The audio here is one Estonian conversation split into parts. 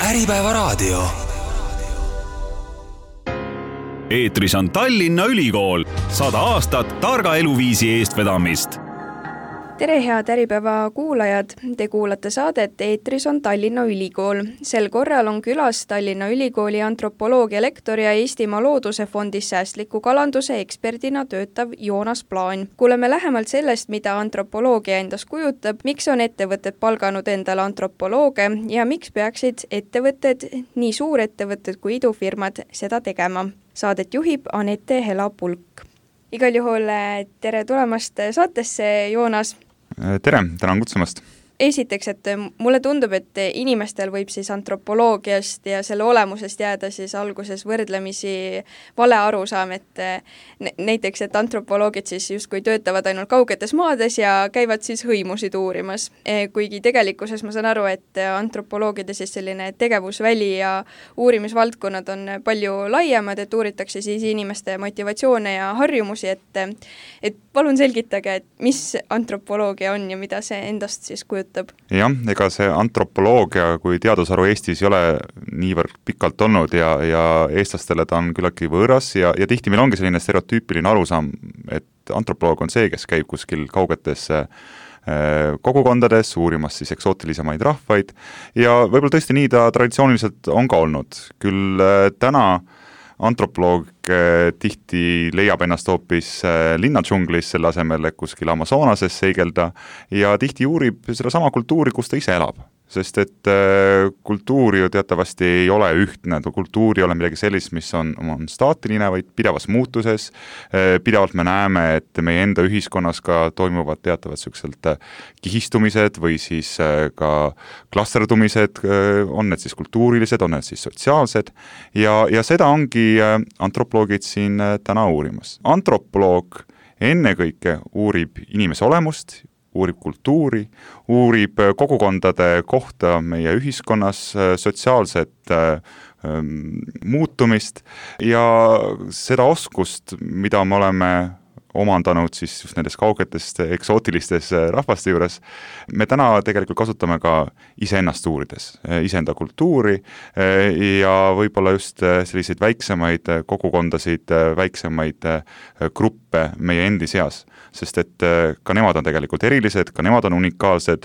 Äripäevaraadio. Eetris on Tallinna Ülikool, 100 aastat targa eluviisi eestvedamist. Tere head Äripäeva kuulajad, te kuulate saadet Eetris on Tallinna Ülikool. Sel korral on külas Tallinna Ülikooli antropoloogia lektor ja Eestimaa Looduse Fondis säästliku kalanduse eksperdina töötav Joonas Plaan. Kuuleme lähemalt sellest, mida antropoloogia endas kujutab, miks on ettevõtted palganud endale antropolooge ja miks peaksid ettevõtted, nii suurettevõtted kui idufirmad, seda tegema. Saadet juhib Anette Hela-Pulk. Igal juhul tere tulemast saatesse, Joonas. Tere, tänan kutsumast. Esiteks, et mulle tundub, et inimestel võib siis antropoloogiast ja selle olemusest jääda siis alguses võrdlemisi vale arusaam, et näiteks, et antropoloogid siis justkui töötavad ainult kaugetes maades ja käivad siis hõimusid uurimas. Kuigi tegelikkuses ma saan aru, et antropoloogide siis selline tegevusväli ja uurimisvaldkonnad on palju laiemad, et uuritakse siis inimeste motivatsioone ja harjumusi, et palun selgitage, et mis antropoloogia on ja mida see endast siis kujutab. Jah, ega see antropoloogia kui teadusharu Eestis ei ole niivõrd pikalt olnud ja eestlastele ta on küllaltki võõras ja tihti meil ongi selline stereotüüpiline arusaam, et antropoloog on see, kes käib kuskil kaugetes kogukondades uurimas siis eksootilisemaid rahvaid ja võib-olla tõesti nii ta traditsiooniliselt on ka olnud. Küll täna antropoloog tihti leiab ennast hoopis linnadžunglis selle asemel, et kuskil Amazonases seigelda ja tihti uurib seda sama kultuuri, kus ta ise elab. Sest et kultuur ju teatavasti ei ole ühtne, kultuur ei ole midagi sellist, mis on staatiline, vaid pidevas muutuses. Pidevalt me näeme, et meie enda ühiskonnas ka toimuvad teatavad selliselt kihistumised või siis ka klasterdumised, on need siis kultuurilised, on need siis sotsiaalsed ja seda ongi antropoloogid siin täna uurimas. Antropoloog ennekõike uurib inimese olemust, uurib kultuuri, uurib kogukondade kohta meie ühiskonnas, sotsiaalset muutumist ja seda oskust, mida me oleme omandanud siis just nendes kaugetest eksootilistes rahvaste juures. Me täna tegelikult kasutame ka iseennast uurides, iseenda kultuuri ja võib-olla just selliseid väiksemaid kogukondasid, väiksemaid gruppe meie endi seas. Sest et ka nemad on tegelikult erilised, ka nemad on unikaalsed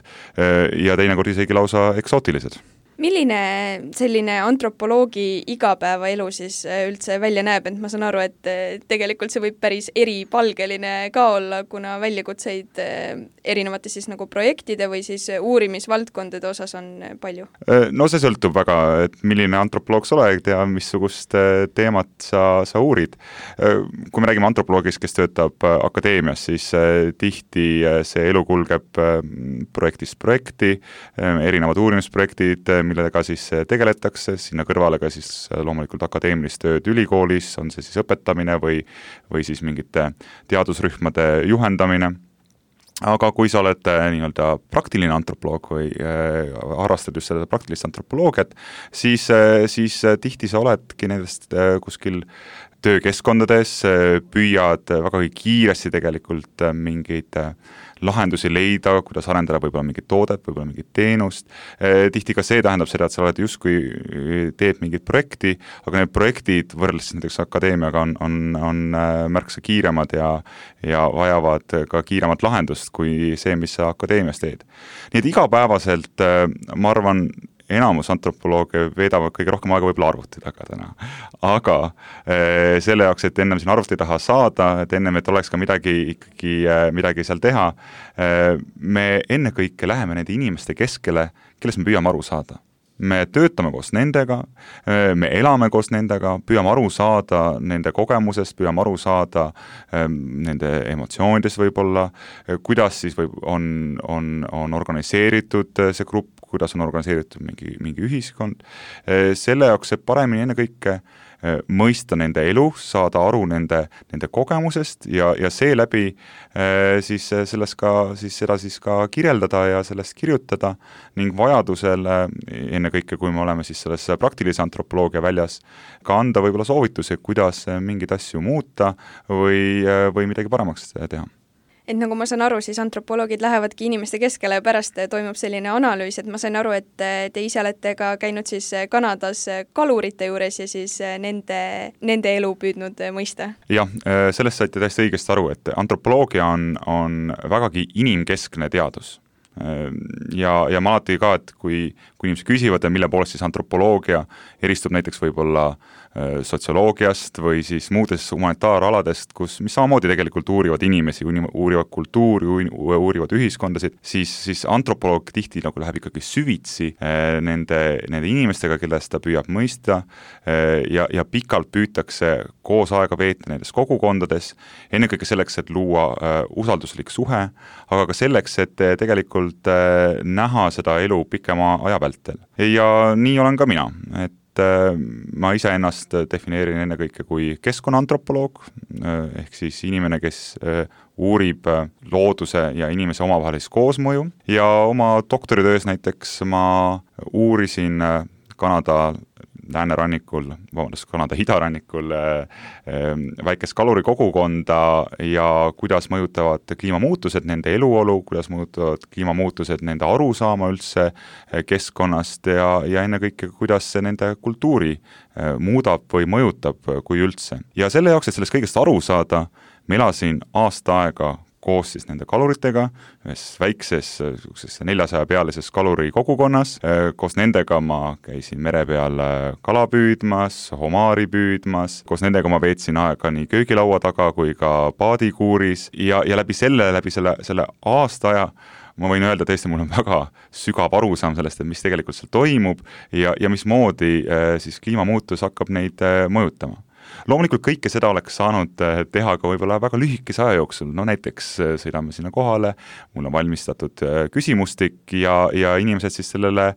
ja teinekord isegi lausa eksootilised. Milline selline antropoloogi igapäevaelu siis üldse välja näeb, et ma saan aru, et tegelikult see võib päris eripalgeline ka olla, kuna väljakutseid erinevate siis nagu projektide või siis uurimisvaldkondade osas on palju? No see sõltub väga, et milline antropoloog sa oled ja missugust teemat sa uurid. Kui me räägime antropoloogist, kes töötab akadeemias, siis tihti see elu kulgeb projektist projekti, erinevad uurimisprojektid, millega siis tegeletakse, sinna kõrvale ka siis loomulikult akadeemilist tööd ülikoolis, on see siis õpetamine või siis mingite teadusrühmade juhendamine. Aga kui sa oled nii-öelda praktiline antropoloog või harrastad just seda praktilist antropoloogiat, siis tihti sa oledki nendest kuskil töökeskkondades, püüad väga kiiresti tegelikult mingeid lahendusi leida, kuidas arendada võib-olla mingit toodet, võib-olla mingit teenust. Tihti ka see tähendab seda, et sa oled justkui teed mingit projekti, aga need projektid võrreldes näiteks akadeemiaga on märksa kiiremad ja vajavad ka kiiremat lahendust kui see, mis sa akadeemias teed. Nii et igapäevaselt, ma arvan, enamus antropolooge veedavad kõige rohkem aega võib-olla arvuti taga täna. Aga selle jaoks, et ennem siin arvuti taha saada, et ennem, et oleks ka midagi seal teha, me ennekõike läheme nende inimeste keskele, kelles me püüame aru saada. Me töötame koos nendega, me elame koos nendega, püüame aru saada nende kogemusest, püüame aru saada nende emotsioonidest võib-olla, kuidas siis on organiseeritud see grupp, kuidas on organiseeritud mingi ühiskond. Selle jaoks, et paremini ennekõike mõista nende elu, saada aru nende kogemusest ja seeläbi siis sellest seda ka kirjeldada ja sellest kirjutada ning vajadusel ennekõike, kui me oleme siis selles praktilise antropoloogia väljas, ka anda võib-olla soovitusi, kuidas mingeid asju muuta või midagi paremaks teha. Et nagu ma saan aru, siis antropoloogid lähevadki inimeste keskele ja pärast toimub selline analüüs, et ma sain aru, et te ise olete ka käinud siis Kanadas kalurite juures ja siis nende elu püüdnud mõista. Jah, sellest saite täiesti õigesti aru, et antropoloogia on vägagi inimkeskne teadus. Ja ma alati ka, et kui inimesed küsivad, mille poolest siis antropoloogia eristub näiteks võib-olla sotsioloogiast või siis muudest humanitaaraladest, mis samamoodi tegelikult uurivad inimesi, uurivad kultuuri, uurivad ühiskondasid, siis antropoloog tihti nagu läheb ikkagi süvitsi nende inimestega, kellest ta püüab mõista ja pikalt püütakse koos aega veeta nendes kogukondades, ennekõike selleks, et luua usalduslik suhe, aga ka selleks, et tegelikult näha seda elu pikema aja vältel. Ja nii olen ka mina, et ma ise ennast defineerin ennekõike kui keskkonnaantropoloog, ehk siis inimene, kes uurib looduse ja inimese omavahelist koosmõju ja oma doktoritöös näiteks ma uurisin Kanada idarannikul väikest kalurikogukonda ja kuidas mõjutavad kliimamuutused nende eluolu, kuidas mõjutavad kliimamuutused nende arusaama üldse keskkonnast ja ennekõike, kuidas see nende kultuuri muudab või mõjutab, kui üldse. Ja selle jaoks, et sellest kõigest aru saada, ma elasin aasta aega koos siis nende kaluritega, ühes väikses 400-pealises kaluri kogukonnas. Koos nendega ma käisin mere peal kala püüdmas, homaari püüdmas, koos nendega ma veetsin aega nii köögilaua taga kui ka paadikuuris ja läbi selle aasta aja ma võin öelda, tõesti, mul on väga sügav arusaam sellest, et mis tegelikult seal toimub ja mismoodi siis kliimamuutus hakkab neid mõjutama. Loomulikult kõike seda oleks saanud teha ka võib-olla väga lühikese aja jooksul, no näiteks sõidame sinna kohale, mul on valmistatud küsimustik ja inimesed siis sellele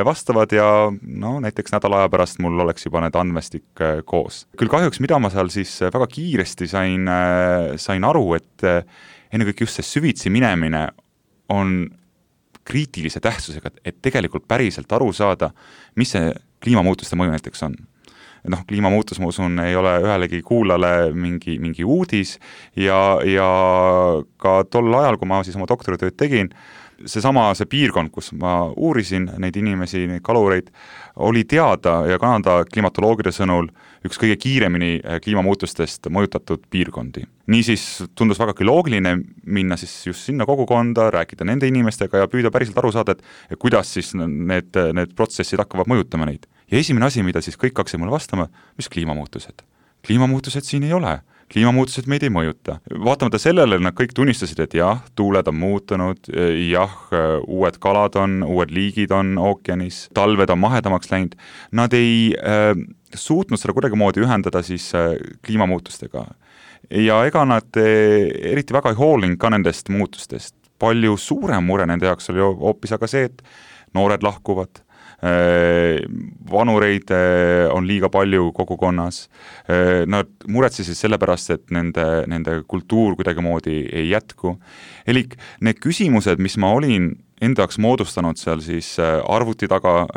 vastavad ja no näiteks nädala aja pärast mul oleks juba need andmestik koos. Küll kahjuks, mida ma seal siis väga kiiresti sain aru, et ennekõike just see süvitsi minemine on kriitilise tähtsusega, et tegelikult päriselt aru saada, mis see kliimamuutuste mõju näiteks on. Kliimamuutus, ma usun, ei ole ühelegi kuulale mingi uudis ja ka tol ajal, kui ma siis oma doktoritööd tegin, see piirkond, kus ma uurisin neid inimesi, neid kalureid, oli teada ja Kanada klimatoloogide sõnul üks kõige kiiremini kliimamuutustest mõjutatud piirkondi. Niisiis tundus vägagi loogiline minna siis just sinna kogukonda, rääkida nende inimestega ja püüda päriselt aru saada, et kuidas siis need protsessid hakkavad mõjutama neid. Ja esimene asi, mida siis kõik hakkasid mulle vastama, mis kliimamuutused? Kliimamuutused siin ei ole. Kliimamuutused meid ei mõjuta. Vaatamata sellele nad kõik tunnistasid, et jah, tuuled on muutunud, jah, uued kalad uued liigid on ookeanis, talved on mahedamaks läinud. Nad ei suutnud seda kuidagimoodi ühendada siis kliimamuutustega. Ja ega nad eriti väga ei hoolinud ka nendest muutustest. Palju suurem mure nende jaoks oli hoopis aga see, et noored lahkuvad, vanureid on liiga palju kogukonnas. Nad muretsesid sellepärast, et nende kultuur kuidagimoodi ei jätku. Elik need küsimused, mis ma olin enda jaoks moodustanud seal siis arvuti taga,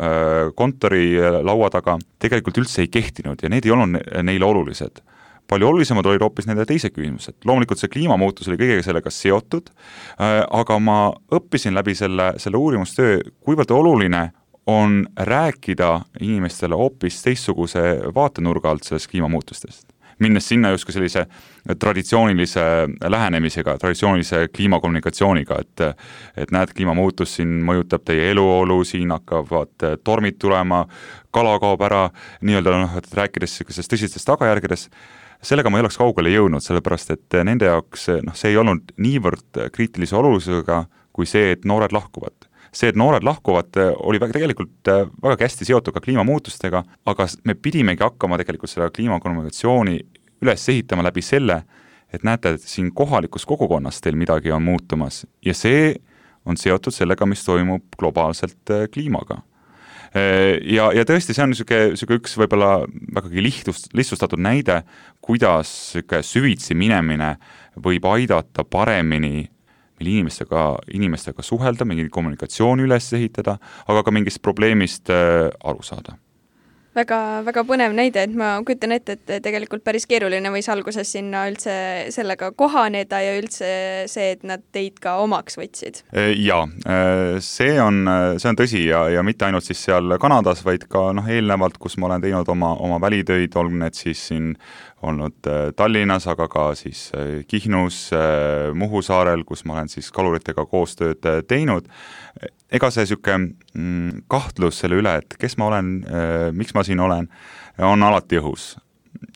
kontori laua taga, tegelikult üldse ei kehtinud ja need ei olnud neile olulised. Palju olulisemad olid hoopis nende teised küsimused. Loomulikult see kliimamuutus oli kõigega sellega seotud, aga ma õppisin läbi selle uurimustöö, kuivõrd oluline on rääkida inimestele hoopis teistsuguse vaatenurga alt sellest kliimamuutustest. Minnes sinna justkui sellise traditsioonilise lähenemisega, traditsioonilise kliimakommunikatsiooniga, et näed, kliimamuutus siin mõjutab teie eluolu, siin hakkavad tormid tulema, kala kaob ära, et rääkides sellest tõsistest tagajärgedes, sellega ma ei oleks kaugele jõudnud, sellepärast et nende jaoks see ei olnud niivõrd kriitilise olulisega kui see, et noored lahkuvad. See, et noored lahkuvad, oli tegelikult väga hästi seotud ka kliimamuutustega, aga me pidimegi hakkama tegelikult seda kliimakommunikatsiooni üles ehitama läbi selle, et näete, et siin kohalikus kogukonnas teil midagi on muutumas ja see on seotud sellega, mis toimub globaalselt kliimaga. Ja tõesti, see on üks võib-olla vägagi lihtsustatud näide, kuidas süvitsi minemine võib aidata paremini meil inimestega suhelda, mingi kommunikatsiooni üles ehitada, aga ka mingist probleemist aru saada. väga, väga põnev näide, et ma kujutan ette, et tegelikult päris keeruline võis alguses sinna üldse sellega kohaneda ja üldse see, et nad teid ka omaks võtsid. Jaa, see on tõsi ja mitte ainult siis seal Kanadas, vaid ka eelnevalt, kus ma olen teinud oma välitöid, olgu need siis siin olnud Tallinnas, aga ka siis Kihnus, Muhu saarel, kus ma olen siis kaluritega koostööd teinud. Ega see siuke kahtlus selle üle, et kes ma olen, miks ma siin olen, on alati õhus.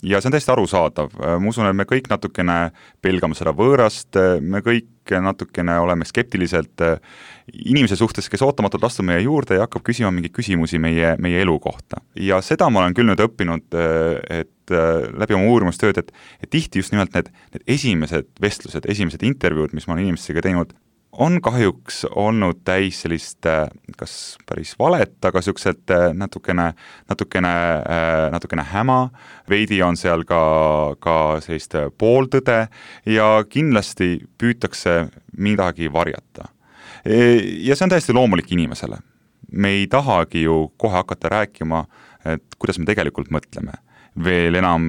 Ja see on täiesti arusaadav. Ma usun, et me kõik natukene pelgame seda võõrast, me kõik natukene oleme skeptiliselt inimese suhtes, kes ootamatult astub meie juurde ja hakkab küsima mingeid küsimusi meie elu kohta. Ja seda ma olen küll nüüd õppinud, et läbi oma uurimustööd, et tihti just nimelt need esimesed vestlused, esimesed intervjuud, mis ma olen inimestega teinud, on kahjuks olnud täis sellist, kas päris valet, aga siukselt natukene häma, veidi on seal ka sellist pooltõde ja kindlasti püütakse midagi varjata. Ja see on täiesti loomulik inimesele. Me ei tahagi ju kohe hakata rääkima, et kuidas me tegelikult mõtleme. Veel enam,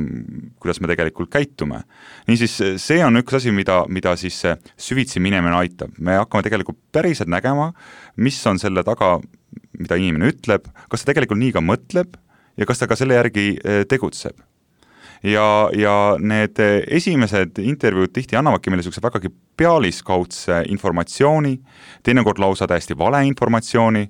kuidas me tegelikult käitume. Niisiis, see on üks asi, mida siis süvitsi minemine aitab. Me hakkame tegelikult päriselt nägema, mis on selle taga, mida inimene ütleb, kas ta tegelikult nii ka mõtleb ja kas ta ka selle järgi tegutseb. Ja need esimesed intervjuud tihti annavadki meile selline vägagi pealiskaudse informatsiooni, teinekord lausa täiesti vale informatsiooni,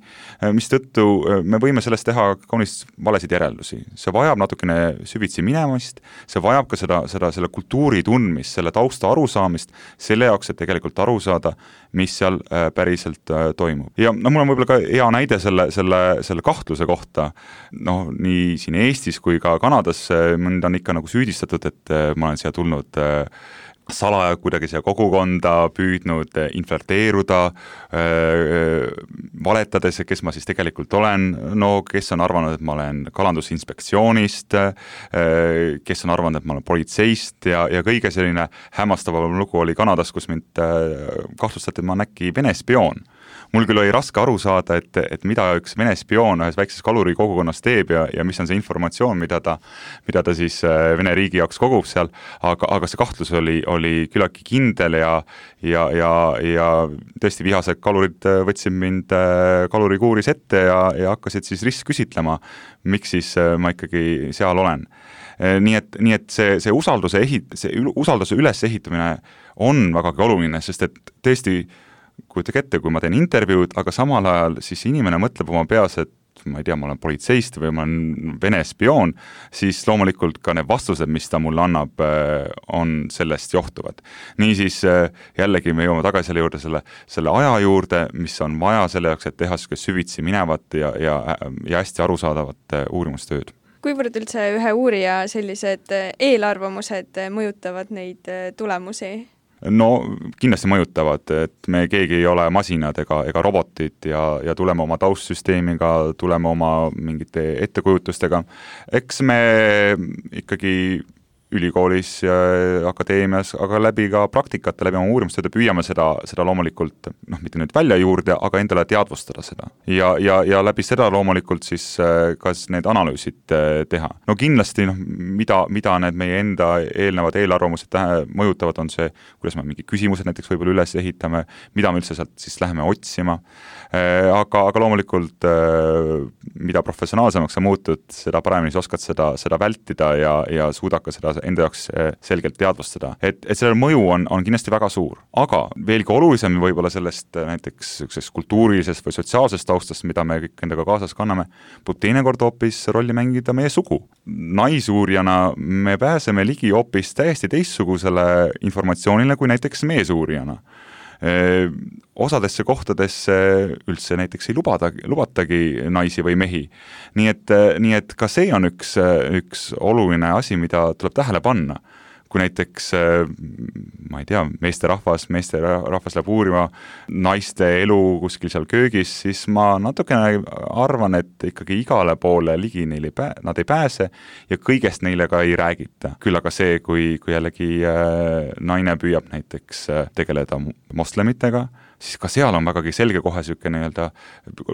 mis tõttu me võime sellest teha kaunis valesid järeldusi. See vajab natukene süvitsi minemist, see vajab ka selle kultuuri tundmist, selle tausta arusaamist, selle jaoks, et tegelikult aru saada, mis seal päriselt toimub. Ja mul on võib-olla ka hea näide selle kahtluse kohta, nii siin Eestis kui ka Kanadas mind on ikka nagu süüdistatud, et ma olen siia tulnud salaja kuidagi siia kogukonda püüdnud infiltreeruda, valetades, kes ma siis tegelikult olen, kes on arvanud, et ma olen kalandusinspektsioonist, kes on arvanud, et ma olen politseist ja kõige selline hämmastavam lugu oli Kanadas, kus mind kahtlustati, et ma olen äkki Vene spioon. Mul küll oli raske aru saada, et mida üks Vene spioon ühes väikses kaluri kogukonnas teeb ja mis on see informatsioon, mida ta siis Vene riigi jaoks kogub seal, aga see kahtlus oli küllaltki kindel ja tõesti vihased kalurid võtsid mind kalurikuuris ette ja hakkasid siis ristküsitlema, miks siis ma ikkagi seal olen. Nii et see usalduse ülesehitamine on vägagi oluline, sest et tõesti kujutage ette, kui ma teen intervjuud, aga samal ajal siis inimene mõtleb oma peas, et ma ei tea, ma olen politseist või ma olen Vene spioon, siis loomulikult ka need vastused, mis ta mulle annab, on sellest johtuvad. Niisiis jällegi me jõuame tagasi selle juurde, selle aja juurde, mis on vaja selle jaoks, et teha süvitsi minevat ja hästi arusaadavat uurimustööd. Kuivõrd üldse ühe uurija sellised eelarvamused mõjutavad neid tulemusi? No kindlasti mõjutavad, et me keegi ei ole masinad ega robotid ja tuleme oma taustsüsteemiga, tuleme oma mingite ettekujutustega. Eks me ikkagi ülikoolis ja akadeemias, aga läbi ka praktikate, läbi oma uurimustööde püüame seda loomulikult, mitte nüüd välja juurde, aga endale teadvustada seda. Ja läbi seda loomulikult siis kas need analüüsid teha. No kindlasti, mida need meie enda eelnevad eelarvamused mõjutavad, on see, kuidas me mingi küsimused näiteks võib-olla üles ehitame, mida me üldse sealt siis läheme otsima. Aga loomulikult, mida professionaalsemaks sa muutud, seda paremini sa oskad seda vältida ja suudad ka seda enda jaoks selgelt teadvustada. Et sellel mõju on kindlasti väga suur. Aga veelgi olulisem võib-olla sellest näiteks kultuurilisest või sotsiaalsest taustast, mida me kõik endaga kaasas kanname, võib teinekord hoopis rolli mängida meie sugu. Naisuurijana me pääseme ligi hoopis täiesti teistsugusele informatsioonile kui näiteks meesuurijana. Osadesse kohtadesse üldse näiteks ei lubatagi naisi või mehi. Nii et ka see on üks oluline asi, mida tuleb tähele panna. Kui näiteks, ma ei tea, meesterahvas läheb uurima naiste elu kuskil seal köögis, siis ma natukene arvan, et ikkagi igale poole ligi nad ei pääse ja kõigest neile ka ei räägita. Küll aga see, kui jällegi naine püüab näiteks tegeleda moslemitega siis ka seal on vägagi selge kohe niisugune nii-öelda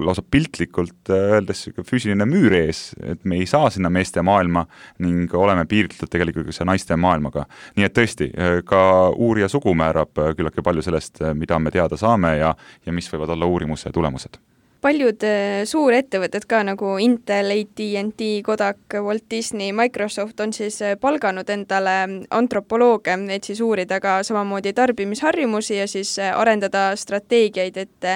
lausa piltlikult öeldes füüsiline müür ees, et me ei saa sinna meeste maailma ning oleme piiritletud tegelikult see naiste maailmaga. Nii et tõesti, ka uurija sugu määrab küllalt palju sellest, mida me teada saame ja mis võivad olla uurimuse tulemused. Paljud suurettevõtted ka nagu Intel, AT&T, Kodak, Walt Disney, Microsoft on siis palganud endale antropolooge, et siis uurida ka samamoodi tarbimisharjumusi ja siis arendada strateegiaid, et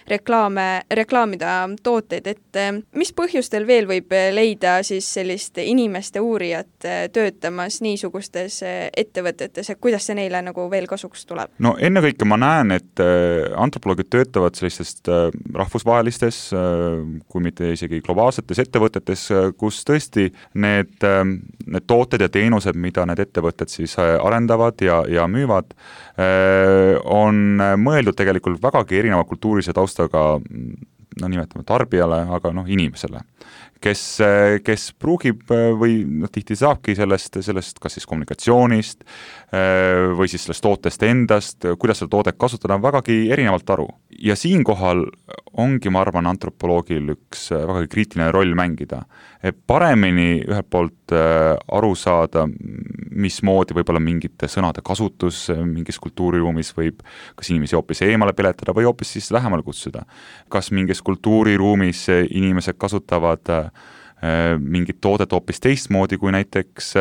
reklaamida tooteid, et mis põhjustel veel võib leida siis sellist inimeste uurijat töötamas niisugustes ettevõtetes ja kuidas see neile nagu veel kasuks tuleb? No ennekõike ma näen, et antropoloogid töötavad sellistest rahvusvahelistest, kui mitte isegi globaalsetes ettevõtetes, kus tõesti need tooted ja teenused, mida need ettevõtted siis arendavad ja müüvad, on mõeldud tegelikult vägagi erineva kultuurilise taustaga, nimetame tarbijale, aga inimesele, kes pruugib või tihti saabki sellest kas siis kommunikatsioonist või siis sellest tootest endast, kuidas seda toodet kasutada, vägagi erinevalt aru. Ja siinkohal ongi, ma arvan, antropoloogil üks vägagi kriitiline roll mängida. Paremini ühelt poolt aru saada, mismoodi võib-olla mingite sõnade kasutus mingis kultuuriruumis võib kas inimesi hoopis eemale peletada või hoopis siis lähemale kutsuda. Kas mingis kultuuriruumis inimesed kasutavad mingit toodet hoopis teistmoodi kui näiteks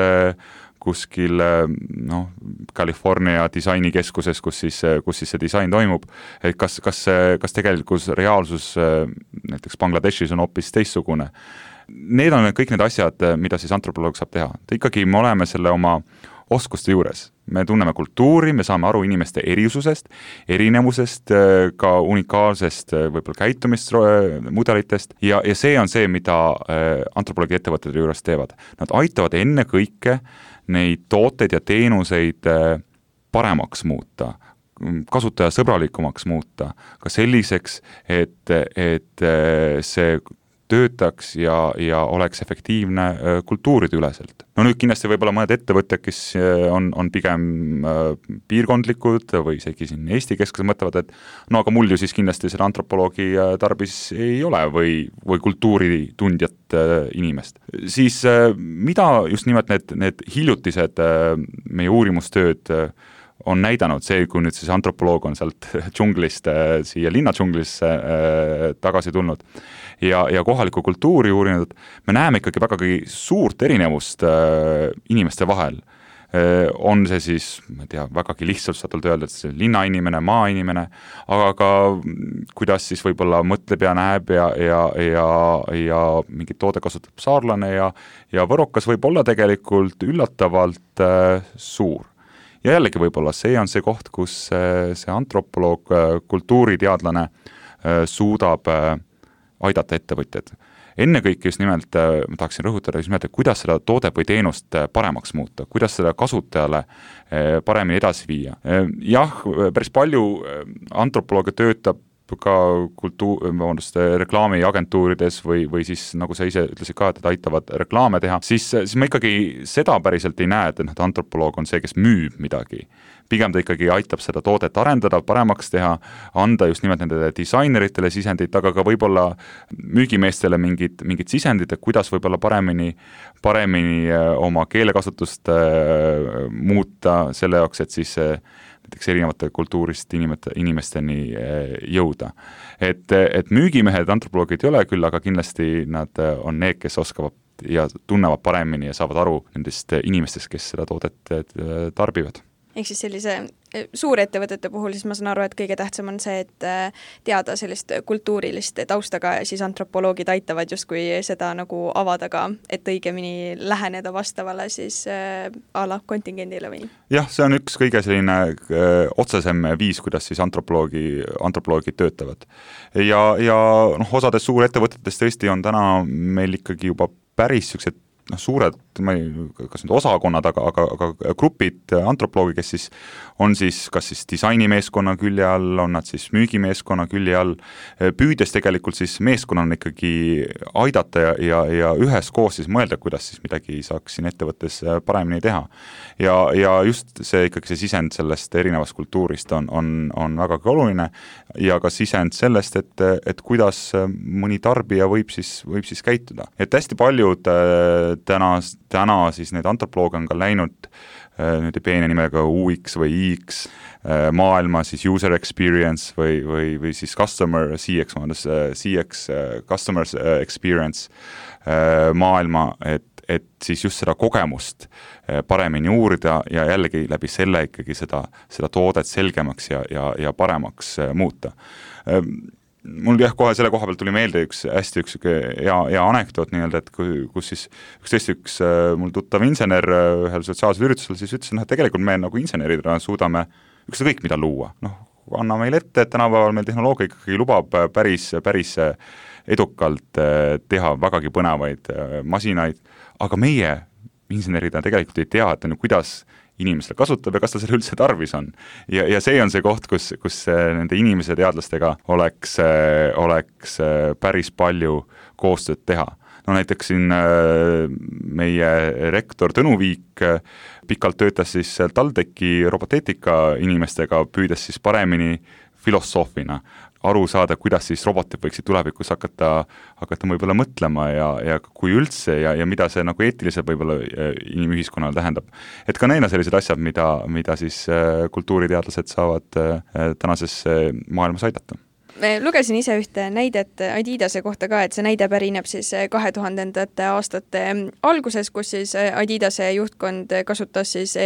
kuskil California disainikeskuses, kus siis see disain toimub, et kas tegelikult reaalsus näiteks Bangladeshis on hoopis teistsugune. Need on kõik need asjad, mida siis antropoloog saab teha. Ikkagi me oleme selle oma oskuste juures. Me tunneme kultuuri, me saame aru inimeste erisusest, erinevusest, ka unikaalsest võib-olla käitumismudelitest ja see on see, mida antropoloogi ettevõtete juures teevad. Nad aitavad enne kõike neid tooteid ja teenuseid paremaks muuta, kasutajasõbralikumaks muuta, ka selliseks, et see töötaks ja oleks efektiivne kultuuride üleselt. No nüüd kindlasti võib-olla mõned ettevõtted, kes on pigem piirkondlikud või isegi siin Eesti keskuse mõtlevad, et aga mul ju siis kindlasti selle antropoloogi tarbis ei ole või kultuuritundjat inimest. Siis mida just nimelt need hiljutised meie uurimustööd on näidanud see, kui nüüd siis antropoloog on sealt džunglist siia linnadžunglisse tagasi tulnud ja kohalikku kultuuri uurinud, me näeme ikkagi vägagi suurt erinevust inimeste vahel. On see siis, ma ei tea, vägagi lihtsustatult öelda, et see linnainimene, maainimene, aga ka kuidas siis võib-olla mõtleb ja näeb ja mingit toode kasutab saarlane ja võrokas võib olla tegelikult üllatavalt suur. Ja jällegi võib-olla see on see koht, kus see antropoloog, kultuuriteadlane suudab aidata ettevõtjad. Ennekõike just nimelt, ma tahaksin rõhutada just nimelt, et kuidas seda toodet või teenust paremaks muuta, kuidas seda kasutajale paremini edasi viia. Jah, päris palju antropoloogia töötab ka reklaamiagentuurides või siis, nagu sa ise ütlesid ka, et aitavad reklaame teha, siis ma ikkagi seda päriselt ei näe, et antropoloog on see, kes müüb midagi. Pigem ta ikkagi aitab seda toodet arendada, paremaks teha, anda just nimelt nendele disaineritele sisendit, aga ka võib-olla müügimeestele mingid sisendid, et kuidas võib-olla paremini oma keelekasutust muuta selle jaoks, et siis näiteks erinevate kultuurist inimesteni jõuda. Et müügimehed, antropoloogid ei ole küll, aga kindlasti nad on need, kes oskavad ja tunnevad paremini ja saavad aru nendest inimestest, kes seda toodet tarbivad. Ehk siis sellise suurettevõtete puhul siis ma saan aru, et kõige tähtsam on see, et teada sellist kultuurilist taustaga ja siis antropoloogid aitavad justkui seda nagu avada ka, et õigemini läheneda vastavale siis ala kontingendile või? Jah, see on üks kõige selline otsesem viis, kuidas siis antropoloogid töötavad. Ja osades suurettevõtetes tõesti on täna meil ikkagi juba päris sellised suured, ma ei, kas nüüd osakonnad, aga grupid antropoloogi, kes siis on siis kas siis disainimeeskonna külje all, on nad siis müügimeeskonna külje all, püüdes tegelikult siis meeskonnana ikkagi aidata ja üheskoos siis mõelda, kuidas siis midagi saaks siin ettevõttes paremini teha. Ja just see ikkagi see sisend sellest erinevast kultuurist on vägagi oluline ja ka sisend sellest, et kuidas mõni tarbija võib siis käituda. Et hästi paljud täna siis need antropoloog on ka läinud nüüd peene nimega UX või IX maailma siis user experience või siis customer CX, customer experience maailma, et siis just seda kogemust paremini uurida ja jällegi läbi selle ikkagi seda toodet selgemaks ja paremaks muuta. Mul kohe selle koha pealt tuli meelde üks hea anekdoot nii-öelda, et kus siis üks mul tuttav insener ühel sotsiaalsel üritusel siis ütles, et tegelikult me nagu inseneridena suudame ükskõik mida luua. Anna meil ette, et tänapäeval meil tehnoloogia ikkagi lubab päris edukalt teha vägagi põnevaid masinaid, aga meie inseneridena tegelikult ei tea, et kuidas inimesele kasutab ja kas ta selle üldse tarvis on. Ja see on see koht, kus nende inimese teadlastega oleks päris palju koostööd teha. No näiteks siin meie rektor Tõnu Viik pikalt töötas siis TalTechi roboteetika inimestega, püüdes siis paremini filosoofina aru saada, kuidas siis robotid võiksid tulevikus hakata võib-olla mõtlema ja kui üldse ja mida see nagu eetiliselt võib-olla inimühiskonnale tähendab. Et ka neil on sellised asjad, mida siis kultuuriteadlased saavad tänases maailmas aidata. Lugesin ise ühte näidet Adidase kohta ka, et see näide pärineb siis 2000ndate aastate alguses, kus siis Adidase juhtkond kasutas siis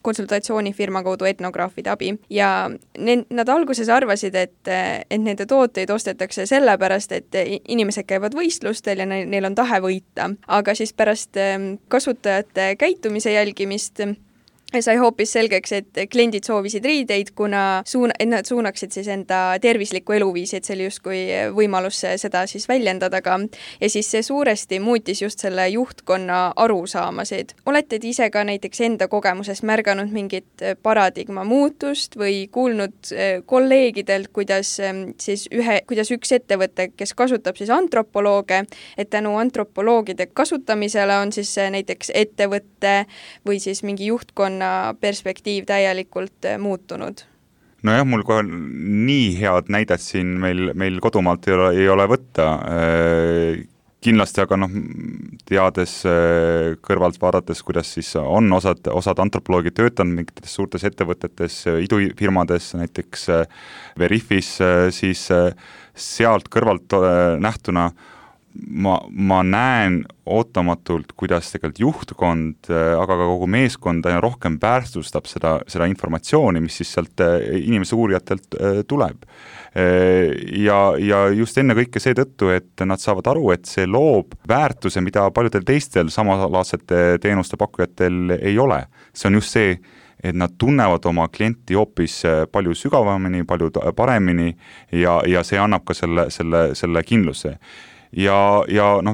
konsultatsioonifirma kaudu etnograafide abi. Ja nad alguses arvasid, et nende tooteid ostetakse sellepärast, et inimesed käivad võistlustel ja neil on tahe võita. Aga siis pärast kasutajate käitumise jälgimist sai hoopis selgeks, et kliendid soovisid riideid, kuna nad suunaksid siis enda tervislikku eluviisi, et see oli justkui võimalus seda siis väljendada ka. Ja siis see suuresti muutis just selle juhtkonna arusaamasid. Olete ise ka näiteks enda kogemusest märganud mingit paradigma muutust või kuulnud kolleegidelt, kuidas üks ettevõte, kes kasutab siis antropolooge, et tänu antropoloogide kasutamisele on siis näiteks ettevõtte või siis mingi juhtkonna perspektiiv täielikult muutunud? Nojah, mul kohe nii head näidet siin meil kodumaalt ei ole võtta. Kindlasti, aga teades kõrvalt vaadates, kuidas siis on osad antropoloogid töötanud mingites suurtes ettevõtetes, idufirmades, näiteks Veriffis, siis sealt kõrvalt nähtuna ma näen ootamatult, kuidas tegelikult juhtkond, aga ka kogu meeskond rohkem väärtustab seda informatsiooni, mis siis sealt inimese uurijatelt tuleb. Ja just enne kõike seetõttu, et nad saavad aru, et see loob väärtuse, mida paljudel teistel samalaadsete teenuste pakkujatel ei ole. See on just see, et nad tunnevad oma klienti hoopis palju sügavamini, palju paremini ja see annab ka selle kindluse. Ja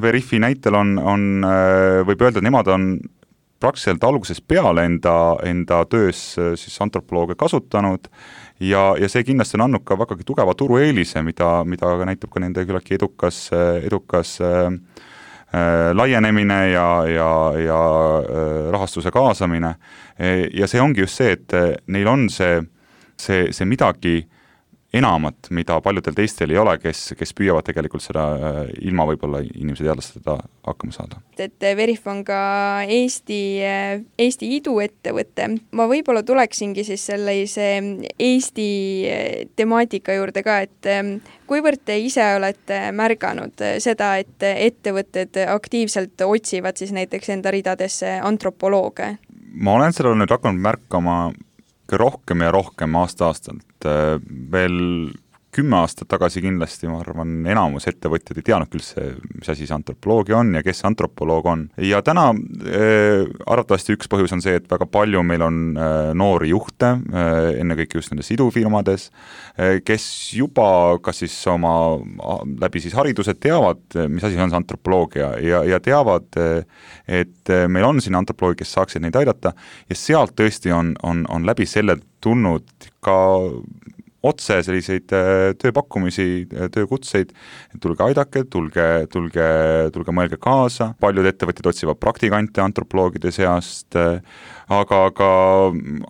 Veriffi näitel võib öelda, et nemad on praktiliselt algusest peale enda töös siis antropolooge kasutanud ja see kindlasti on andnud ka vägagi tugeva turueelise, mida näitab ka nende küllaltki edukas laienemine ja rahastuse kaasamine. Ja see ongi just see, et neil on see midagi enamat, mida paljudel teistel ei ole, kes püüavad tegelikult seda ilma võib-olla inimese teadlastada hakkama saada. Et Veriff on ka Eesti iduettevõte. Ma võib-olla tuleksingi siis sellise Eesti temaatika juurde ka, et kuivõrd te ise olete märganud seda, et ettevõtted aktiivselt otsivad siis näiteks enda ridadesse antropolooge? Ma olen seda nüüd hakanud märkama rohkem ja rohkem aasta-aastalt. Veel 10 aastat tagasi kindlasti, ma arvan, enamus ettevõtjad ei teadnud üldse, mis asi see antropoloogia on ja kes see antropoloog on. Ja täna arvatavasti üks põhjus on see, et väga palju meil on noori juhte, ennekõike just nendes idufirmades, kes juba kas siis oma läbi siis haridused teavad, mis asi on see antropoloogia ja teavad, et meil on siin antropoloogi, kes saaksid neid aidata ja sealt tõesti on läbi selle tulnud ka otse selliseid tööpakkumisi, töökutseid, tulge aidake, tulge mõelge kaasa, paljud ettevõtjad otsivad praktikante antropoloogide seast, aga ka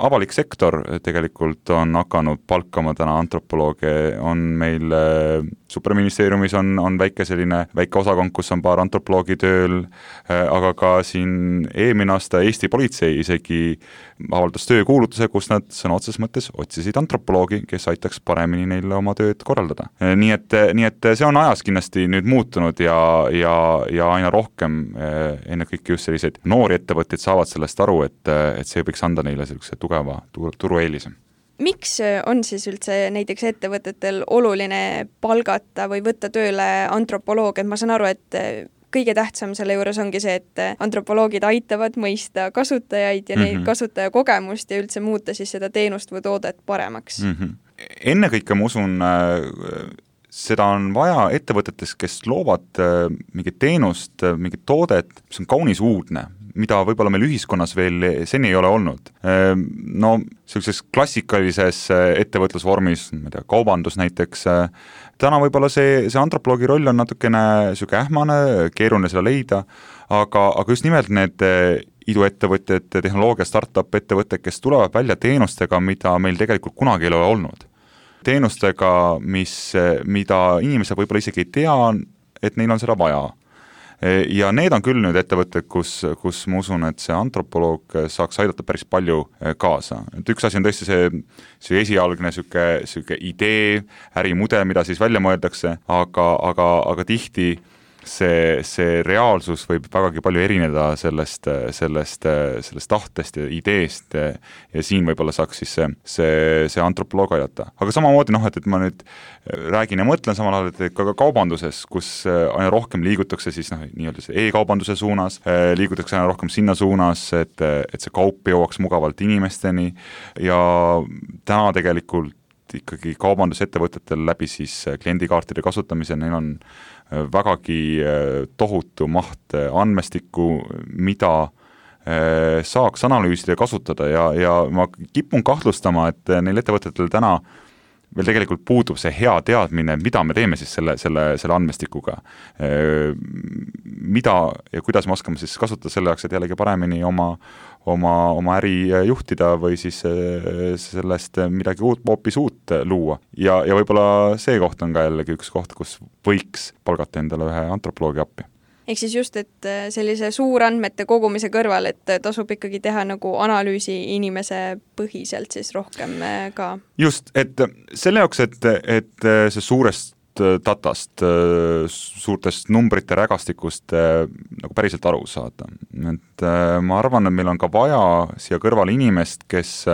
avalik sektor tegelikult on hakanud palkama täna antropolooge, on meil superministeeriumis on väike osakond, kus on paar antropoloogi tööl, aga ka siin eelmine aasta Eesti politsei isegi avaldas töökuulutuse, kus nad sõna otseses mõttes otsisid antropoloogi, kes aitaks paremini neile oma tööd korraldada. Nii et see on ajas kindlasti nüüd muutunud ja aina rohkem ennekõike just selliseid noori ettevõtteid saavad sellest aru, et see võiks anda neile sellise tugeva turueelise. Miks on siis üldse näiteks ettevõtetel oluline palgata või võtta tööle antropoloog, et ma saan aru, et kõige tähtsam selle juures ongi see, et antropoloogid aitavad mõista kasutajaid ja neid kasutajakogemust ja üldse muuta siis seda teenust või toodet paremaks. Ennekõike ma usun, seda on vaja ettevõtetes, kes loovad mingit teenust, mingit toodet, mis on kaunis uudne, mida võib-olla meil ühiskonnas veel seni ei ole olnud. No, sellises klassikalises ettevõtlusvormis, ma ei tea, kaubandus näiteks, täna võib-olla see antropoloogi roll on natukene selline ähmane, keeruline seda leida, aga just nimelt need iduettevõtted, tehnoloogia startup ettevõtted, kes tulevad välja teenustega, mida meil tegelikult kunagi ei ole olnud. Teenustega, mida inimesed võib-olla isegi ei tea, et neil on seda vaja. Ja need on küll nüüd ettevõtted, kus ma usun, et see antropoloog saaks aidata päris palju kaasa. Et üks asi on tõesti see esialgne selline idee, ärimudel, mida siis välja mõeldakse, aga tihti see reaalsus võib vägagi palju erineda sellest tahtest ja ideest ja siin võib-olla saaks siis see antropoloog aidata. Aga samamoodi, et ma nüüd räägin ja mõtlen samal ajal, et ka kaubanduses, kus aina rohkem liigutakse siis nii-öelda e-kaubanduse suunas, liigutakse aina rohkem sinna suunas, et see kaup jõuaks mugavalt inimesteni ja täna tegelikult ikkagi kaubandusettevõtetel läbi siis kliendikaartide kasutamise, neil on vägagi tohutu maht andmestikku, mida saaks analüüsida ja kasutada ja ma kipun kahtlustama, et neil ettevõtetel täna veel tegelikult puudub see hea teadmine, mida me teeme siis selle andmestikuga. Mida ja kuidas me oskame siis kasutada selle jaoks, et jällegi paremini oma äri juhtida või siis sellest midagi hoopis uut luua. Ja võib-olla see koht on ka jällegi üks koht, kus võiks palgata endale ühe antropoloogi appi. Ehk siis just, et sellise suurandmete kogumise kõrval, et tasub ikkagi teha nagu analüüsi inimese põhiselt siis rohkem ka. Just, et selle jaoks, et see suurest datast, suurtest numbrite rägastikust nagu päriselt aru saada. Et ma arvan, et meil on ka vaja siia kõrval inimest, kes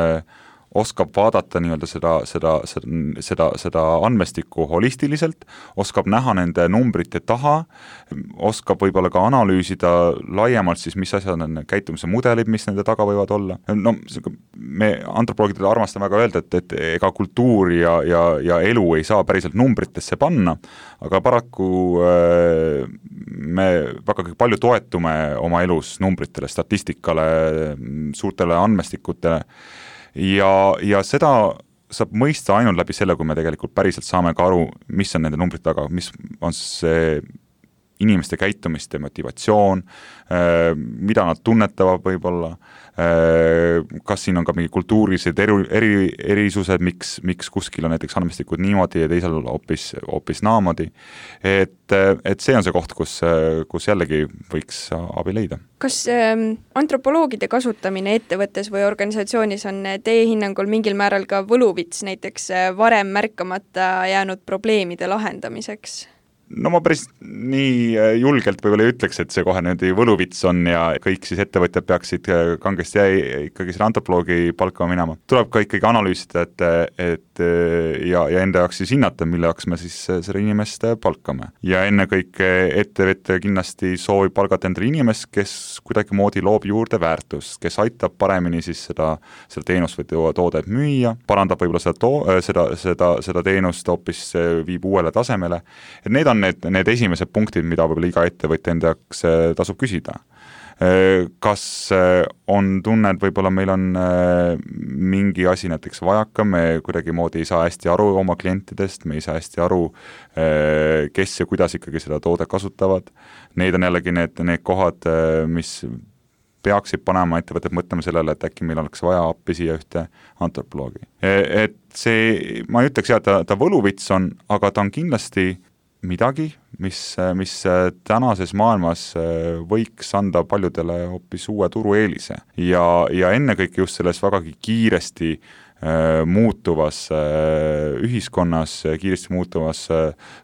oskab vaadata nii-öelda seda andmestikku holistiliselt, oskab näha nende numbrite taha, oskab võib-olla ka analüüsida laiemalt siis, mis asjad on käitumise mudelid, mis nende taga võivad olla. No, me antropoloogidele armastame väga öelda, et ega kultuur ja elu ei saa päriselt numbritesse panna, aga paraku me väga palju toetume oma elus numbritele, statistikale, suurtele andmestikutele, ja seda saab mõista ainult läbi selle, kui me tegelikult päriselt saame ka aru, mis on nende numbrite taga, mis on see inimeste käitumist ja motivatsioon, mida nad tunnetavad võib-olla, kas siin on ka mingi kultuurilised erisused, miks kuskil on näiteks andmestikud niimoodi ja teisel hoopis naamodi. Et see on see koht, kus jällegi võiks abi leida. Kas antropoloogide kasutamine ettevõttes või organisatsioonis on teie hinnangul mingil määral ka võluvits näiteks varem märkamata jäänud probleemide lahendamiseks? no ma päris nii julgelt võib-olla ei ütleks, et see kohe niimoodi võluvits on ja kõik siis ettevõtjad peaksid kangesti ikkagi selle antropoloogi palkama minema. Tuleb ka ikkagi analüüsida, et ja enda jaoks siis hinnata, mille jaoks me siis selle inimest palkame. Ja ennekõike ettevõtja kindlasti soovib palgata endale inimest, kes kuidagi moodi loob juurde väärtust, kes aitab paremini siis seda teenust või toodet müüa, parandab võib-olla seda teenust hoopis viib uuele tasemele. Et need on need esimesed punktid, mida võib-olla iga ettevõtja enda jaoks tasub küsida. Kas on tunne, et võib-olla meil on mingi asi näiteks vajaka, me kuidagi moodi ei saa hästi aru oma klientidest, me ei saa hästi aru, kes ja kuidas ikkagi seda toodet kasutavad. Need on jällegi need kohad, mis peaksid panema ettevõtted mõtlema sellele, et äkki meil oleks vaja appi siia ühte antropoloogi. Et see, ma ei ütleks, et ta võluvits on, aga ta on kindlasti midagi, mis tänases maailmas võiks anda paljudele hoopis uue turueelise ja ennekõike just selles vägagi kiiresti muutuvas ühiskonnas, kiiresti muutuvas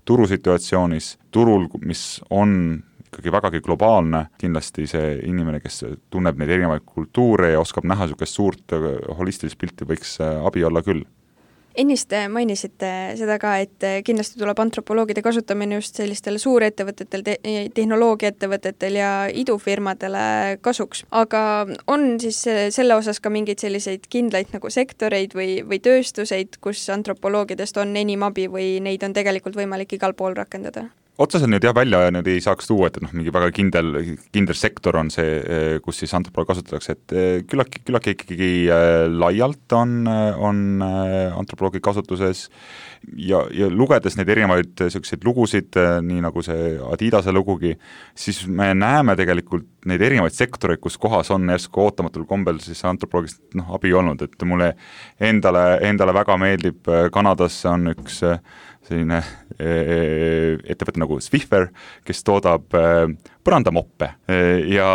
turusituatsioonis, turul, mis on ikkagi vägagi globaalne, kindlasti see inimene, kes tunneb neid erinevaid kultuure ja oskab näha niisugust suurt holistilist pilti, võiks abi olla küll. Ennist mainisite seda ka, et kindlasti tuleb antropoloogide kasutamine just sellistele suurettevõtetel, tehnoloogiaettevõtetel ja idufirmadele kasuks. Aga on siis selle osas ka mingeid selliseid kindlaid nagu sektoreid või tööstuseid, kus antropoloogidest on enim abi või neid on tegelikult võimalik igal pool rakendada? Otseselt nüüd välja nüüd ei saaks tuua, et mingi väga kindel sektor on see, kus siis antropoloog kasutatakse, et küllaki ikkagi laialt on antropoloogi kasutuses ja lugedes neid erinevaid selliseid lugusid, nii nagu see Adidase lugugi, siis me näeme tegelikult neid erinevaid sektoreid, kus kohas on järsku ootamatul kombel siis antropoloogist abi olnud, et mulle endale väga meeldib, Kanadas on üks selline ettevõte nagu Swiffer, kes toodab põrandamoppe ja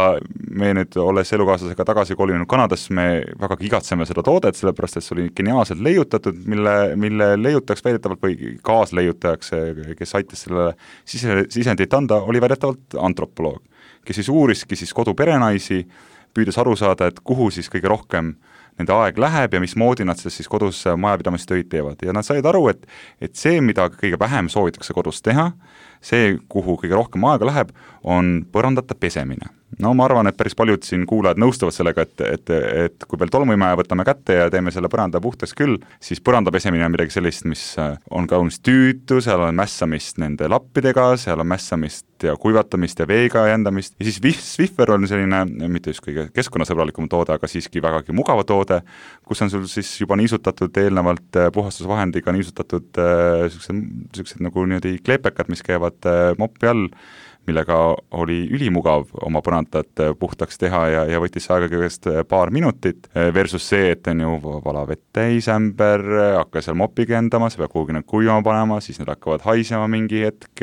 me nüüd, olles elukaaslasega tagasi kolinud Kanadas, me väga igatseme seda toodet, sellepärast et see oli geniaalselt leiutatud, mille leiutajaks väidetavalt või kaasleiutajaks, kes aitas sellele sisendit anda, oli väidetavalt antropoloog, kes siis uuriski siis koduperenaisi, püüdes aru saada, et kuhu siis kõige rohkem nende aeg läheb ja mismoodi nad siis kodus majapidamistöid teevad. Ja nad said aru, et see, mida kõige vähem soovitakse kodus teha, see, kuhu kõige rohkem aega läheb, on põrandate pesemine. No ma arvan, et päris paljud siin kuulajad nõustuvad sellega, et kui veel tolmuimeja võtame kätte ja teeme selle põranda puhtaks küll, siis põranda pesemine on midagi sellist, mis on kaunis tüütu, seal on mässamist nende lappidega, seal on mässamist ja kuivatamist ja veega jändamist ja siis Swiffer on selline, mitte just kõige keskkonnasõbralikum toode, aga siiski vägagi mugava toode, kus on sul siis juba niisutatud eelnevalt puhastusvahendiga niisutatud sellised nagu niimoodi kleepekad, mis käivad mopi all, millega oli ülimugav oma põrandat puhtaks teha ja võttis aega kõigest paar minutit versus see, et on ju vala vett täisämber, hakka seal mopiga endama, sa pead kuhugi need kuivama panema, siis need hakkavad haisema mingi hetk,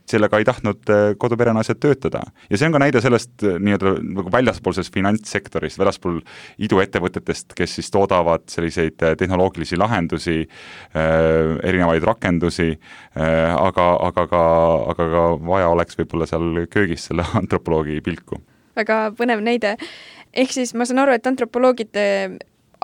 sellega ei tahtnud koduperenaised töötada. Ja see on ka näide sellest nii-öelda nagu väljaspool sellest finantssektorist, väljaspool iduettevõtetest, kes siis toodavad selliseid tehnoloogilisi lahendusi, erinevaid rakendusi, aga ka vaja oleks võib-olla seal köögis selle antropoloogi pilku. Väga põnev näide. Ehk siis ma saan aru, et antropoloogid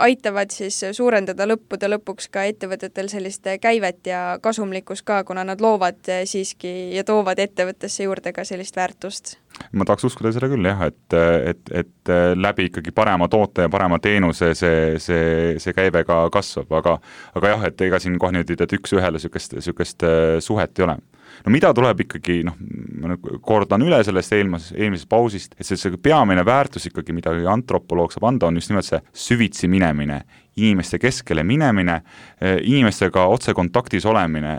aitavad siis suurendada lõppude lõpuks ka ettevõtetel sellist käivet ja kasumlikkus ka, kuna nad loovad siiski ja toovad ettevõttesse juurde ka sellist väärtust. Ma tahaks uskuda seda küll jah, et läbi ikkagi parema toote ja parema teenuse see käive ka kasvab, aga jah, et ega siin kohe nüüd, et üks ühele sükest suhet ei ole. No mida tuleb ikkagi, ma kordan üle sellest eelmisest pausist, et see peamine väärtus ikkagi, mida antropoloog saab anda, on just nimelt see süvitsi minemine, inimeste keskele minemine, inimestega otse kontaktis olemine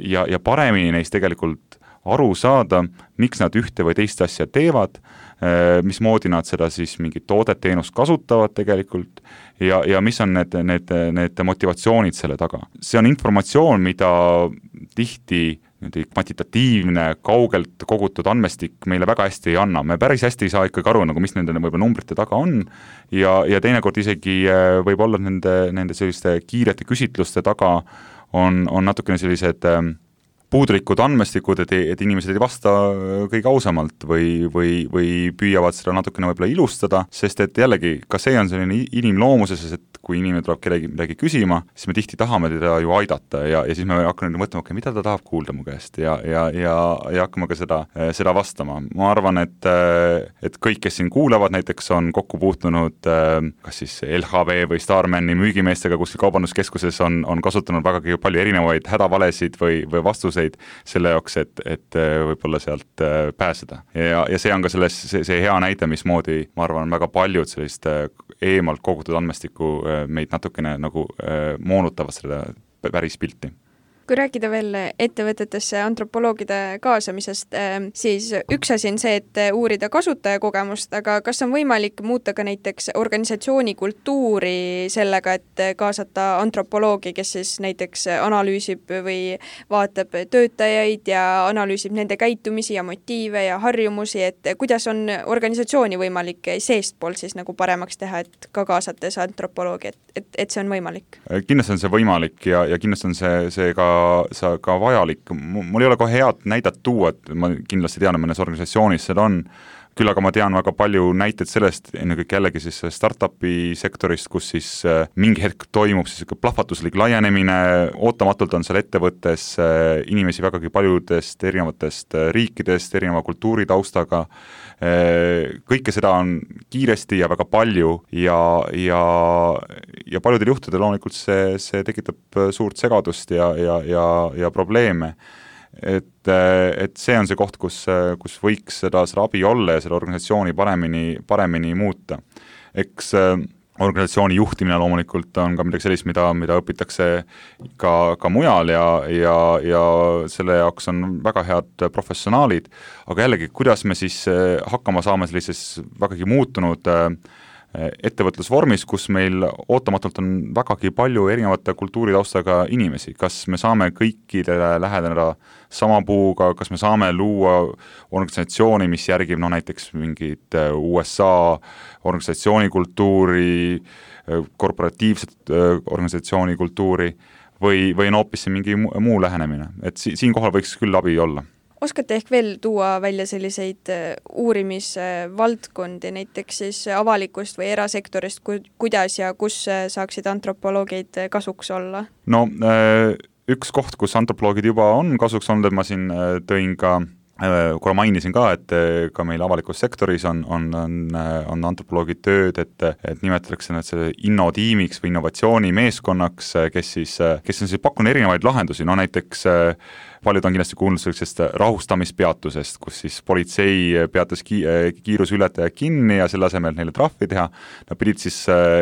ja paremini neist tegelikult aru saada, miks nad ühte või teist asja teevad, mismoodi nad seda siis mingit toodet-teenust kasutavad tegelikult ja mis on need motivatsioonid selle taga. See on informatsioon, mida tihti kvantitatiivne, kaugelt kogutud andmestik meile väga hästi ei anna. Me päris hästi ei saa ikkagi aru, nagu mis nende võib-olla numbrite taga on ja teinekord isegi võib olla nende selliste kiirete küsitluste taga on natukene sellised puudulikud andmestikud, et inimesed ei vasta kõige ausamalt või püüavad seda natukene võib-olla ilustada, sest et jällegi, ka see on selline inimloomuses, et kui inimene tuleb kellegi midagi küsima, siis me tihti tahame teda ju aidata ja siis me hakkame mõtlema, okay, mida ta tahab kuulda mu käest ja hakkame ka seda vastama. Ma arvan, et kõik, kes siin kuulavad, näiteks on kokku puutunud kas siis LHV või Starmani müügimeestega kuskil kaubanduskeskuses on kasutanud vägagi palju erinevaid hädavalesid või vastuseid selle jaoks, et võib-olla sealt pääseda. Ja see on ka see hea näide, mismoodi, ma arvan, väga paljud sellist eemalt kogutud andmestiku meid natukene nagu moonutavad seda päris pilti. Kui rääkida veel ettevõtetesse antropoloogide kaasamisest, siis üks asi on see, et uurida kasutajakogemust, aga kas on võimalik muuta ka näiteks organisatsiooni kultuuri sellega, et kaasata antropoloogi, kes siis näiteks analüüsib või vaatab töötajaid ja analüüsib nende käitumisi ja motiive ja harjumusi, et kuidas on organisatsiooni võimalik seestpool siis nagu paremaks teha, et ka kaasates antropoloogi, et see on võimalik? Kindlasti on see võimalik ja kindlasti on see ka vajalik. Mul ei ole kohe head näidet tuua, et ma kindlasti tean, et mõnes organisatsioonis seda on, küll aga ma tean väga palju näiteid sellest, ennekõike jällegi siis startupi sektorist, kus siis mingi hetk toimub siis plahvatuslik laienemine, ootamatult on seal ettevõttes inimesi vägagi paljudest erinevatest riikidest, erineva kultuuritaustaga, kõike seda on kiiresti ja väga palju ja paljudel juhtudel loomulikult see tekitab suurt segadust ja probleeme. Et see on see koht, kus võiks seda abi olla ja seda organisatsiooni paremini muuta. Eks organisatsiooni juhtimine loomulikult on ka midagi sellist, mida õpitakse ka mujal ja selle jaoks on väga head professionaalid, aga jällegi, kuidas me siis hakkama saame sellises vägagi muutunud ettevõtlusvormis, kus meil ootamatult on vägagi palju erinevate kultuuritaustaga inimesi. Kas me saame kõikidele läheneda sama puuga, kas me saame luua organisatsiooni, mis järgib näiteks mingit USA organisatsioonikultuuri, korporatiivset organisatsioonikultuuri või on hoopis mingi muu lähenemine. Et siinkohal võiks küll abi olla. Oskate ehk veel tuua välja selliseid uurimisvaldkondi, näiteks siis avalikust või erasektorist, kuidas ja kus saaksid antropoloogid kasuks olla? No, üks koht, kus antropoloogid juba on kasuks olnud, et ma siin tõin ka, korra mainisin ka, et ka meil avalikus sektoris on antropoloogid tööd, et nimetatakse nad selle innotiimiks või innovatsioonimeeskonnaks, kes on siis pakkunud erinevaid lahendusi, no näiteks paljud on kindlasti kuulnud sellisest rahustamispeatusest, kus siis politsei peatas kiiruseületaja kinni ja selle asemel neile trahvi teha, nad pidid siis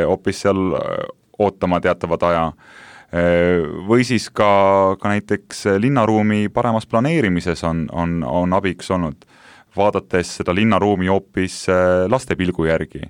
hoopis seal ootama teatavat aja. Või siis ka näiteks linnaruumi paremas planeerimises on abiks olnud, vaadates seda linnaruumi hoopis laste pilgu järgi,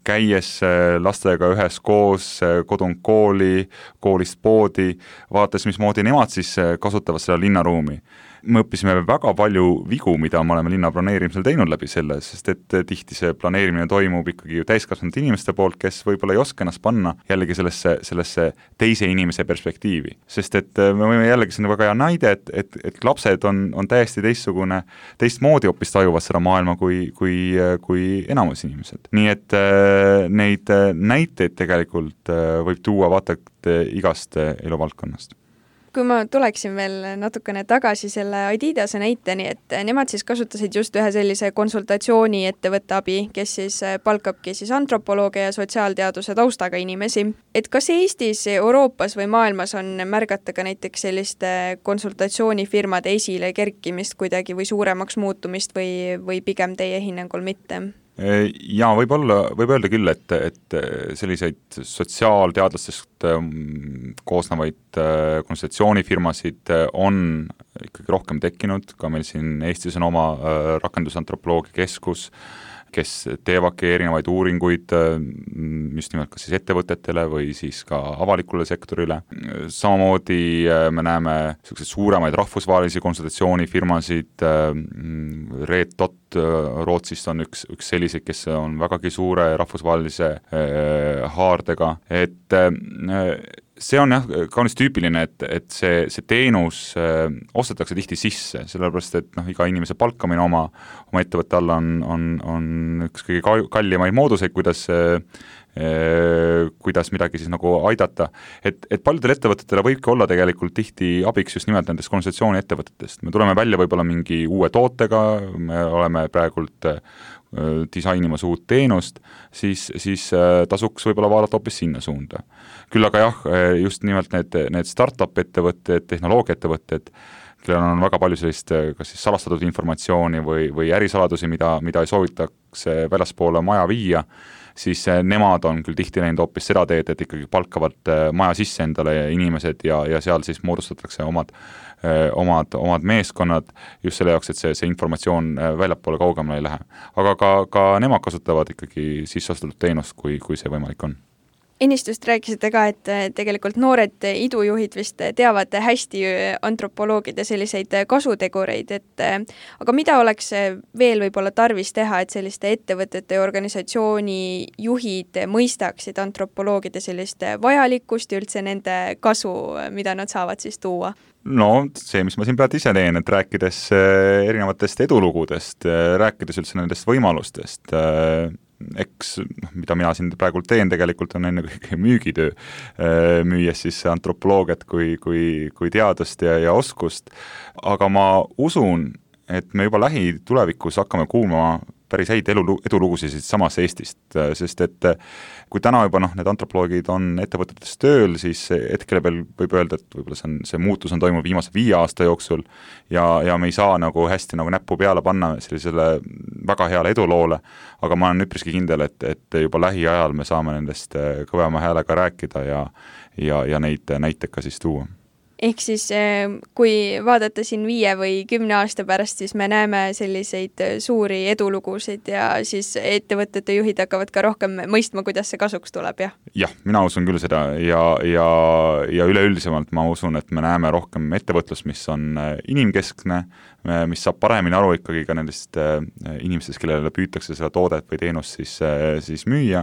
käies lastega ühes koos kodunt kooli, koolist poodi, vaadates, mismoodi nemad siis kasutavad seda linnaruumi. Me õppisime väga palju vigu, mida me oleme linna planeerimisel teinud läbi selle, sest et tihti see planeerimine toimub ikkagi täiskasvanud inimeste poolt, kes võib-olla ei oska ennast panna jällegi sellesse teise inimese perspektiivi. Sest et me võime jällegi sinna väga hea näide, et lapsed on täiesti teistmoodi hoopis tajuvad seda maailma kui enamus inimesed. Nii et neid näiteid tegelikult võib tuua vaata igast eluvaldkonnast. Kui ma tuleksin veel natukene tagasi selle Adidase näiteni, et nemad siis kasutasid just ühe sellise konsultatsiooni ettevõtte abi, kes siis palkabki siis antropoloogia ja sotsiaalteaduse taustaga inimesi. Et kas Eestis, Euroopas või maailmas on märgata ka näiteks selliste konsultatsioonifirmade esile kerkimist kuidagi või suuremaks muutumist või pigem teie hinnangul mitte? Ja võib öelda küll, et selliseid sotsiaalteadlastest koosnevaid konsultatsioonifirmasid on ikkagi rohkem tekkinud, ka meil siin Eestis on oma rakendusantropoloogia keskus, kes teevadki erinevaid uuringuid just nimelt kas siis ettevõtetele või siis ka avalikule sektorile. Samamoodi me näeme selliseid suuremaid rahvusvahelisi konsultatsioonifirmasid, Red Dot Rootsist on üks selliseid, kes on vägagi suure rahvusvahelise haardega, et see on jah, kaunis tüüpiline, et see teenus ostetakse tihti sisse, sellepärast et iga inimese palkamine oma ettevõtte alla on üks kõige kallimaid mooduseid, kuidas midagi siis nagu aidata. Et paljudel ettevõtetele võibki olla tegelikult tihti abiks just nimelt nendest konsultatsiooni ettevõtetest. Me tuleme välja võib-olla mingi uue tootega, me oleme praegult disainimas uut teenust, siis tasuks võib-olla vaadata hoopis sinna suunda. Küll aga jah, just nimelt need startup ettevõtted, tehnoloogia-ettevõtted, kellel on väga palju sellist kas siis salastatud informatsiooni või ärisaladusi, mida ei soovitaks väljaspoole maja viia, siis nemad on küll tihti läinud hoopis seda teed, et ikkagi palkavad maja sisse endale inimesed ja seal siis moodustatakse omad meeskonnad just selle jaoks, et see informatsioon väljapoole kaugemale ei lähe. Aga ka nemad kasutavad ikkagi sisseostetud teenust, kui see võimalik on. Ennistust rääkisite ka, et tegelikult noored idujuhid vist teavad hästi antropoloogide selliseid kasutegureid, aga mida oleks veel võib-olla tarvis teha, et selliste ettevõtete ja organisatsiooni juhid mõistaksid antropoloogide sellist vajalikkust ja üldse nende kasu, mida nad saavad siis tuua? No see, mis ma siin praegu ise teen, et rääkides erinevatest edulugudest, rääkides üldse nendest võimalustest, eks, mida mina siin praegult teen, tegelikult on enne kõik müügitöö, müües siis antropoloogiat kui teadust ja oskust, aga ma usun, et me juba lähitulevikus hakkame kuulma päris häid edulugusid samas Eestist, sest et kui täna juba need antropoloogid on ettevõtetes tööl, siis hetkel veel võib öelda, et võib-olla see muutus on toimunud viimase 5 aasta jooksul ja me ei saa nagu hästi nagu näppu peale panna sellisele väga heale eduloole, aga ma olen üpriski kindel, et juba lähiajal me saame nendest kõvema häälega rääkida ja neid näiteid ka siis tuua. Ehk siis, kui vaadata siin 5 või 10 aasta pärast, siis me näeme selliseid suuri edulugusid ja siis ettevõtete juhid hakkavad ka rohkem mõistma, kuidas see kasuks tuleb, jah? Jah, mina usun küll seda ja üleüldisemalt ma usun, et me näeme rohkem ettevõtlust, mis on inimkeskne, mis saab paremini aru ikkagi ka nendest inimestest, kellele püütakse seda toodet või teenust siis müüa.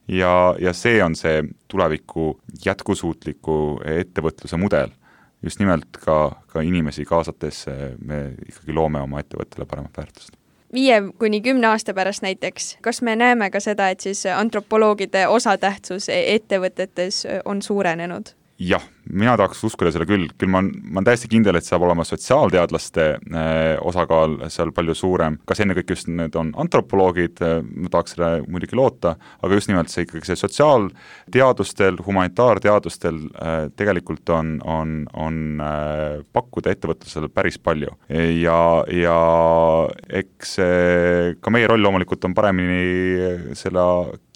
Ja see on see tuleviku jätkusuutliku ettevõtluse mudel. Just nimelt ka inimesi kaasates me ikkagi loome oma ettevõttele paremat väärtust. 5 kuni 10 aasta pärast näiteks, kas me näeme ka seda, et siis antropoloogide osatähtsus ettevõtetes on suurenenud? Jah, mina tahaks uskuda selle küll ma olen täiesti kindel, et saab olema sotsiaalteadlaste osakaal seal palju suurem, kas enne kõik just need on antropoloogid, ma tahaks selle muidugi loota, aga just nimelt see ikkagi see sotsiaalteadustel, humanitaarteadustel tegelikult on pakkuda ettevõtlusele päris palju ja eks ka meie roll loomulikult on paremini selle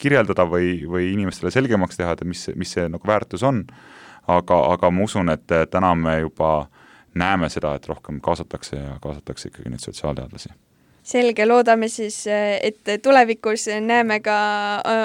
kirjeldada või inimestele selgemaks teha, et mis see nagu väärtus on. Aga ma usun, et täna me juba näeme seda, et rohkem kaasatakse ikkagi neid sotsiaalteadlasi. Selge, loodame siis, et tulevikus näeme ka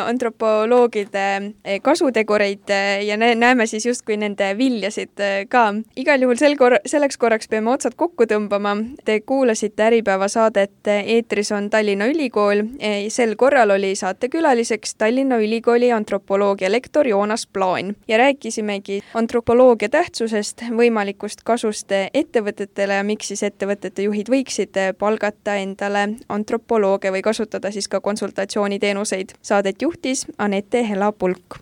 antropoloogide kasutegureid ja näeme siis justkui nende viljasid ka. Igal juhul selleks korraks peame otsad kokku tõmbama. Te kuulasite Äripäeva saadet Eetris on Tallinna Ülikool. Sel korral oli saatekülaliseks Tallinna Ülikooli antropoloogia lektor Joonas Plaan ja rääkisimegi antropoloogia tähtsusest, võimalikust kasust ettevõtetele ja miks siis ettevõtete juhid võiksid palgata endale antropoloogia või kasutada siis ka konsultatsiooniteenuseid. Saadet juhtis Anette Hela-Pulk.